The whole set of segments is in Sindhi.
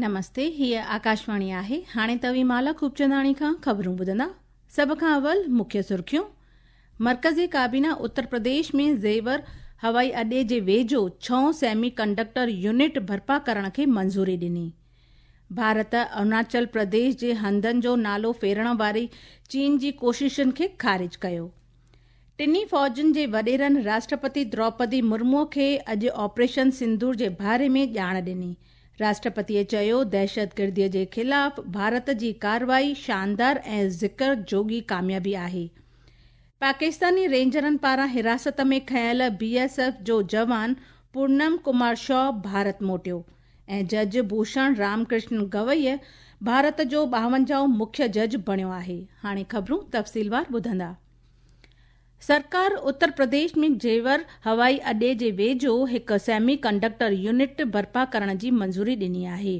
نمستي، هيء آڪاشواڻي آهي. هاڻي توهين مالا خوبچنداڻي کان خبرون ٻڌندا. سڀ کان اول مکيه سرخيون. مرڪزي ڪابينا اتر پرديش ۾ زيور هوائي اڏي جي ويجهو ڇهون سيمي ڪنڊڪٽر يونٽ برپا ڪرڻ کي منظوري ڏني. ڀارت اروناچل پرديش جي هنڌن جو نالو ڦيرڻ واري چين جي ڪوششن کي خارج ڪيو. ٽنهي فوجن جي وڏيرن راشٽرپتي دروپدي مرمو کي اڄ آپريشن سندور جي باري ۾ ڄاڻ ڏني. راشٽرپتيء چيو دهشتگرديء جي خلاف ڀارت جي ڪارروائي شاندار ۽ ذڪر جوڳي ڪاميابي آهي. پاڪستاني رينجرن پاران حراست ۾ کنيل بي ايس ايف جو جوان پورنم ڪمار شو ڀارت موٽيو ۽ جج ڀوشڻ رام ڪرشن گوئي ڀارت جو 52 مکيه جج بڻيو آهي. هاڻي خبرون تفصيلوار ٻڌندا. سرڪار اتر پرديش ۾ جيور هوائي اڏي جي ويجهو هڪ سيمي ڪنڊڪٽر يونٽ برپا ڪرڻ جي منظوري ڏني آهي.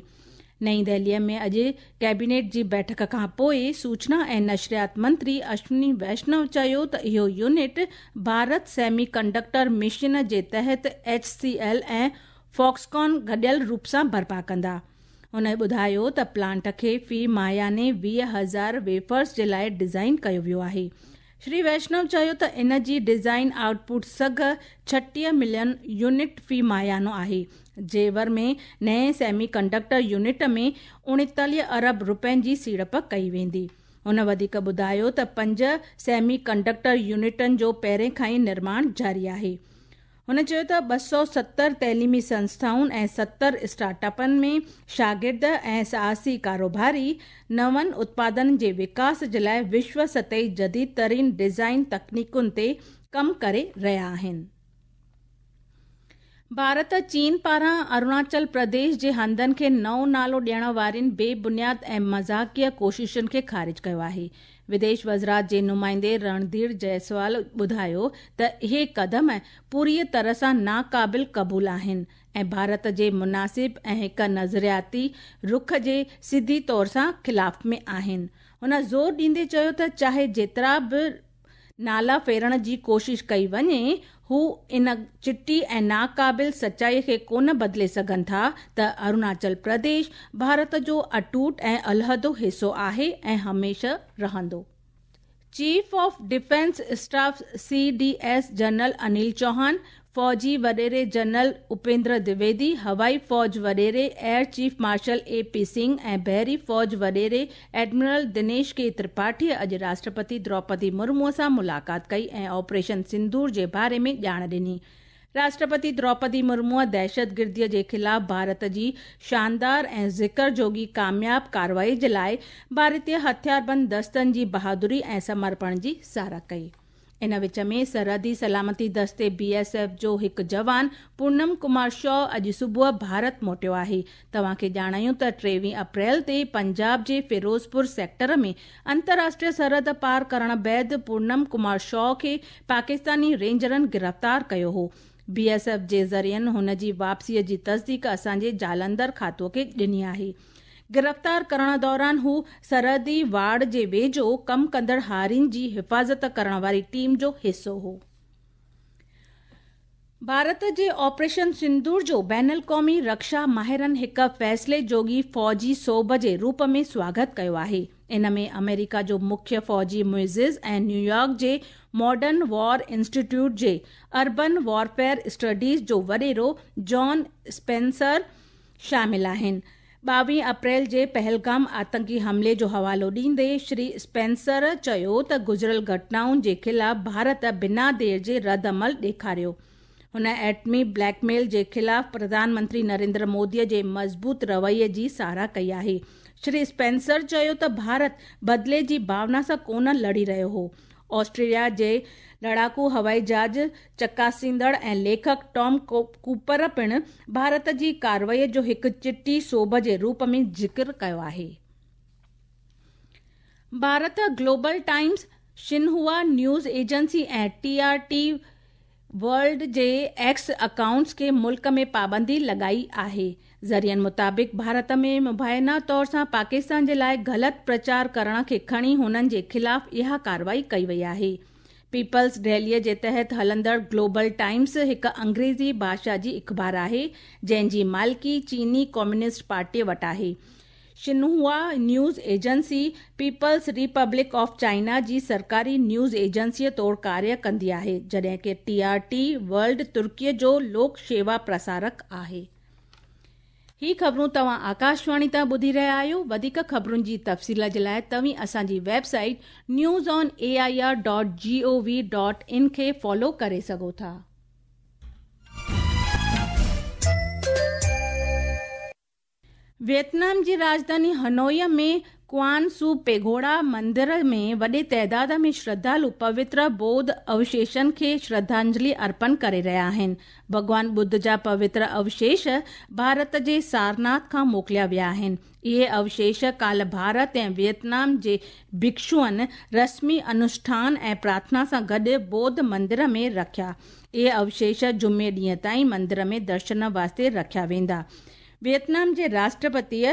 نئين دهليء ۾ اڄ ڪيبينيٽ جي بيٺڪ کان پوء سوچنا ۽ نشريات منتري اشوني ويشنو چيو ته اهو unit Bharat semiconductor mission جي تحت ايڇ سي ايل ۽ فاڪسڪان گڏيل روپ سان برپا ڪندا. هن ٻڌايو ته پلانٽ کي في ماهياني 20,000 ويفرز جي لاء ڊزائين ڪيو ويو آهي. شري ويشنو چيو ته ان جي ڊزائين آئوٽ پٽ سگهه 36 ملين يونٽ في ماهيانو آهي. جيور ۾ نئين سيمي ڪنڊڪٽر يونٽ ۾ 39 ارب رپين جي سيڙپ ڪئي ويندي. هن وڌيڪ ٻڌايو ته 5 سيمي ڪنڊڪٽر يونٽن جو پهرين کان ئي نرماڻ جاري آهي. هن چيو ته 270 تعليمي سنسٿائن ۽ 70 اسٽارٽ اپن ۾ شاگرد ۽ ساهسي ڪاروباري نون اتپادن جي وڪاس جي لاءِ وشو سطحي جديد ترين ڊزائين تڪنيڪن تي ڪم ڪري رهيا آهن. ڀارت چين پاران اروناچل پرديش جي هنڌن کي نئون نالو ڏيڻ وارين بي بنياد ۽ مذاقيه ڪوششن کي خارج ڪيو آهي. وديش وزارت جي نمائندي رڻڌير جئسوال ٻڌايو ته اهي قدم پوريء طرح سان ناقابل قبول آهن ۽ ڀارت جي مناسب ۽ هڪ نظرياتي رخ جي سڌي طور سان خلاف ۾ آهن. هن زور ڏيندي چيو ته چاهي جيترا به نالا ڦيرڻ جي ڪوشش ڪئي وڃي، هو ان چٽي ۽ ناقابل سچائي کي ڪونه بدلي سگهن ٿا ته اروناچل پرديش ڀارت جو اٽوٽ ۽ علحدو حصو آهي ۽ هميشه رهندو. Chief of defence staff C D S general Anil Chauhan, فوجي وڏيري جنرل اپيندر دويدي، هوائي فوج وڏيري air chief marshal A P Singh ۽ بحري فوج وڏيري ايڊمرل دنيش ڪي ترپاٺيء اڄ راشٽرپتي دروپدي مرمو سان ملاقات ڪئي ۽ آپريشن سندور جي باري ۾ ڄاڻ ڏني. راشٽرپتي دروپدي مرموء دهشتگرديء جي خلاف ڀارت جي شاندار ۽ ذڪر جوڳي ڪامياب ڪارروائي جي لاءِ ڀارتي هٿياربند دستن جي بهادري ۽ سمرپڻ جي ساراهه ڪئي. ان وچ ۾ سرحدي سلامتي دستي بي ايس ايف جو هڪ جوان پورنم ڪمار شو اڄ صبح ڀارت موٽيو آهي. توهان کي ڄاڻايون ته 23 اپريل تي پنجاب جي فيروزپور سيڪٽر ۾ انترراشٽريه سرحد پار ڪرڻ بعد پورنم ڪمار شو کي پاڪستاني رينجرن گرفتار ڪيو هو. بي ايس ايف جي ذريعن هن جي واپسيء جي تصديق اسان جي جالنڌر کاتو کي ڏني آهي. گرفتار ڪرڻ دوران هو سرحدي واڙ جي ويجهو ڪم ڪندڙ هارين جي حفاظت ڪرڻ واري ٽيم جو حصو هو. ڀارت جي آپريشن سندور جو بين القومي رڪشا ماهرن هڪ فيصلي جوڳي فوجي سوڀ جي روپ ۾ سواگت ڪيو آهي. ان ۾ آمريڪا جو مکيه فوجي معزز ۽ نيويارڪ جي ماڊرن وار انسٽيٽيوٽ جي اربن وارفيئر اسٽڊيز جو وڏيرو جان اسپينسر شامل آهن. 22 اپريل جي پهلگام آتنڪي حملي جو حوالو ڏيندي شري اسپينسر چيو ته گذريل گهٽنائن جي خلاف ڀارت بنا دير جي رد عمل ڏيکاريو. هن ايٽمي بليڪ ميل جي خلاف پرڌان منتري نريندر مودي جي مضبوط رويي جي ساراهه ڪئي آهي. شري اسپينسر چيو ته ڀارت بدلي جي ڀاونا سان ڪونه لڙي رهيو هو. آسٽريليا جي لڙاڪو هوائي جهاز چڪاسيندڙ ۽ ليکڪ ٽام ڪوپر پڻ ڀارت جي ڪارروائي جو هڪ چٽي سوڀ جي روپ ۾ ذڪر ڪيو آهي. Bharat Global Times, Xinhua news agency ۽ T R T world جي ايڪس اڪائونٽس کي ملڪ ۾ پابندي لڳائي آهي. ذريعن مطابق ڀارت ۾ مبينا طور سان پاڪستان جي لاءِ غلط پرچار ڪرڻ کي کڻي هنن جي خلاف اها ڪارروائي ڪئي وئي آهي. پيپلز ڊيليء جي تحت هلندڙ گلوبل ٽائمز هڪ انگريزي ڀاشا جي اخبار آهي، جنهن جي مالڪي چيني ڪميونسٽ پارٽيء وٽ آهي. Xinhua news agency People's Republic of China جي سرڪاري نيوز ايجنسيء طور ڪاريه ڪندي آهي، جڏهن ڪه ٽي آر ٽي ورلڊ ترڪيء جو لوڪ شيوا پرسارڪ آهي. هي خبرون توهان آڪاشواڻي تان ٻڌي رهيا آهيو. وڌيڪ خبرن جي تفصيل جي لاء توهين اسان جي website news on A I R dot G O V dot in کي فالو ڪري سگهو ٿا. ويتنام جي راڄڌاني هنوئي ۾ ڪوان سو پيگوڊا مندر ۾ وڏي تعداد ۾ شرڌالو پوتر ٻوڌ اوشيشن کي شرڌانجلي ارپڻ ڪري رهيا آهن. ڀڳوان ٻڌ جا پوتر اوشيش ڀارت جي سارناٿ کان موڪليا ويا آهن. اهي اوشيش ڪالهه ڀارت ۽ ويتنام جي ڀڪشوئن رسمي انوشٺان ۽ پرارٿنا سان گڏ ٻوڌ مندر ۾ رکيا. اهي اوشيش جمعي ڏينهن تائين مندر ۾ درشن واسطي رکيا ويندا. ويتنام جي راشٽرپتيء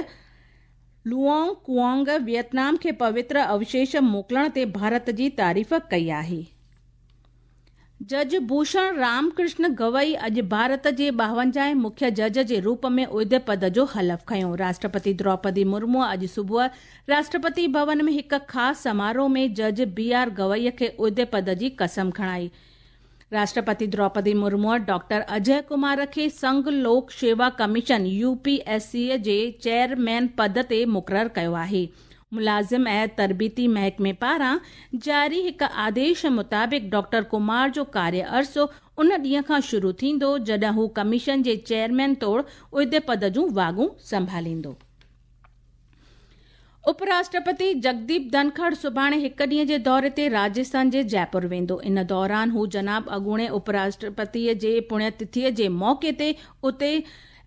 لوئونگ ڪوانگ ويتنام کي پوتر اوشيش موڪلڻ تي ڀارت جي تعريف ڪئي آهي. جج ڀوشڻ رام ڪرشن گوئي اڄ ڀارت جي ٻاونجاهين مکيه جج جي روپ ۾ عهدي پد جو حلف کنيو. راشٽرپتي دروپدي مرمو اڄ صبح راشٽرپتي ڀون ۾ هڪ خاص سماروهه ۾ جج بي آر گوئي کي عهدي پد جي قسم کڻائي. راشٽرپتي دروپدي مرموء ڊاڪٽر اجئه ڪمار کي Sangh Lok Seva commission, U P S C, جي چيئرمين پد تي مقرر ڪيو آهي. ملازم ۽ تربيتي محڪمي پاران جاري هڪ آديش مطابق ڊاڪٽر ڪمار جو ڪاريه عرصو ان ڏينهن کان شروع ٿيندو جڏهن هو ڪميشن جي چيئرمين طور عهدي پد جون واڳون سنڀاليندو. اپ راشٽرپتي جگديپ ڌنکڙ سڀاڻي هڪ ڏينهن جي دوري تي راجسٿان جي جئپور ويندو. ان دوران هو جناب اڳوڻي اپ راشٽرپتي جي پڻيه تٿيء جي موقعي تي اتي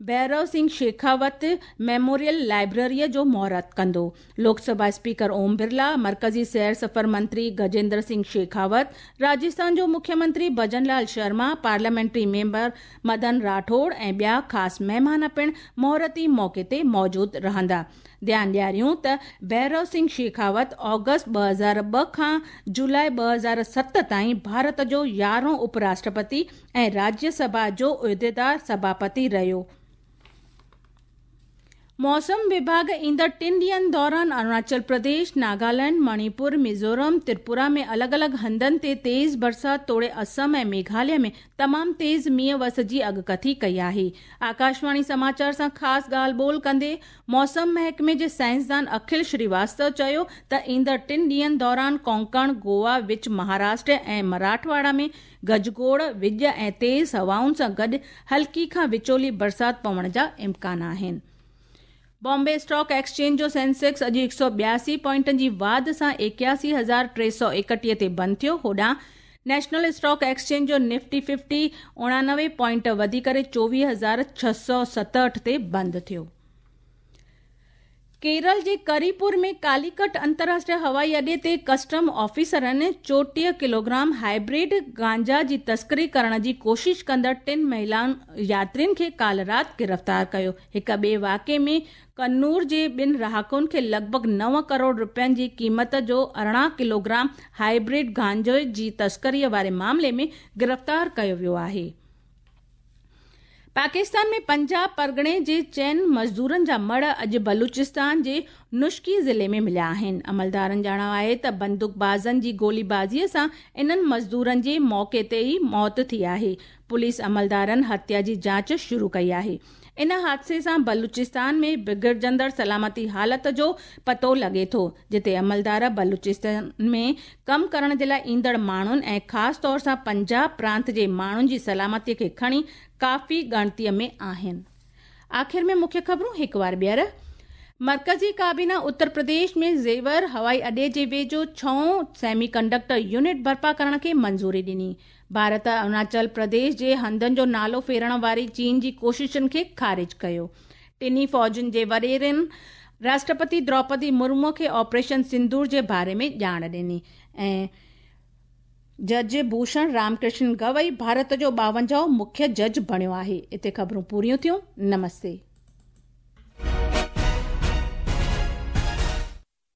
ڀيرو سنگهه شيخاوت ميموريل لائبريريء جو مهورت ڪندو. لوڪ سڀا اسپيڪر اوم برلا، مرڪزي سير سفر منتري گجيندر سنگهه شيخاوت، راجسٿان جو مکيه منتري ڀجن لال شرما، پارليامينٽري ميمبر مدن راٺوڙ ۽ ٻيا خاص مهمان پڻ مهورتي موقعي تي موجود رهندا. ڌيان ڏياريون ته ڀيرو سنگهه شيخاوت آگسٽ 2002 کان جولاء 2007 تائين ڀارت جو يارهون اپ راشٽرپتي ۽ راجيه سڀا جو عهديدار سڀاپتي رهيو. موسم وڀاڳ ايندڙ ٽن ڏينهن دوران اروناچل پرديش، ناگالينڊ، مڻيپور، ميزورم، تريپورا ۾ الڳ الڳ هنڌن تي تيز برسات توڙي اسم ۽ ميگهاليه ۾ تمام تيز مينهن وس جي اڳڪٿي ڪئي آهي. آڪاشواڻي سماچار سان خاص ڳالهه ٻولهه ڪندي موسم محڪمي جي سائنسدان اکل شريواستو چيو ته ايندڙ ٽن ڏينهن دوران ڪونڪڻ، گوا، وچ مهاراشٽر ۽ مراٺواڙا ۾ گجگوڙ، وڄ ۽ تيز هوائن سان گڏ هلڪي کان وچولي برسات پوڻ جا امڪان آهن. بامبي اسٽاڪ ايڪسچينج جو سينسيڪس اڄ 182 پوائنٽن جي واڌ سان 81331 تي بند ٿيو. هوڏانهن نيشنل اسٽاڪ ايڪسچينج جو نفٽي ففٽي 89 پوائنٽ وڌي ڪري 24667 تي بند ٿيو. ڪيرل جي ڪريپور ۾ ڪاليڪٽ انترراشٽريه هوائي اڏي تي ڪسٽم آفيسرن 34 ڪلوگرام هائبرڊ گانجا جي تسڪري ڪرڻ جي ڪوشش ڪندڙ ٽن مهيلا ياترين کي ڪالهه رات گرفتار ڪيو. هڪ ٻئي واقعي ۾ ڪنور جي ٻن رهاڪن کي لڳ ڀڳ نو ڪروڙ رپين جي قيمت جو 18 ڪلوگرام هائبرڊ گانجي جي تسڪري واري معاملي ۾ گرفتار ڪيو ويو آهي. پاڪستان ۾ پنجاب پرڳڻي جي چئن مزدورن جا مڙهه اڄ بلوچستان جي نوشڪي ضلعي ۾ مليا آهن. عملدارن ڄاڻايو آهي ته بندوقبازن جي گوليبازي سان انهن مزدورن جي موقعي تي ئي موت ٿي آهي. پوليس عملدارن هتيا جي جاچ شروع ڪئي آهي. ان حادثي سان بلوچستان ۾ بگڙجندڙ سلامتي حالت جو پتو لڳي ٿو، جتي عملدار بلوچستان ۾ ڪم ڪرڻ جي لاء ايندڙ ماڻهن ۽ خاص طور سان پنجاب پرانت جي ماڻهن جي سلامتي کي کڻي ڪافي ڳڻتي ۾ آهن. آخر ۾ مکيه خبرون هڪ وار ٻيهر. مرڪزي ڪابينا اتر پرديش ۾ زيور هوائي اڏي جي ويجهو ڇهون سيمي ڪنڊڪٽر يونٽ برپا ڪرڻ کي منظوري ڏني. ڀارت اروناچل پرديش جي هنڌن جو نالو ڦيرڻ واري چين جي ڪوششن کي خارج ڪيو. ٽنهي فوجن جي وڏيرن راشٽرپتي دروپدي مرمو کي آپريشن سندور جي باري ۾ ڄاڻ ڏني ۽ جج ڀوشڻ رام ڪرشن گوئي ڀارت جو ٻاونجاهون مکيه جج بڻيو آهي. اتي خبرون پوريون ٿيون. نمستي.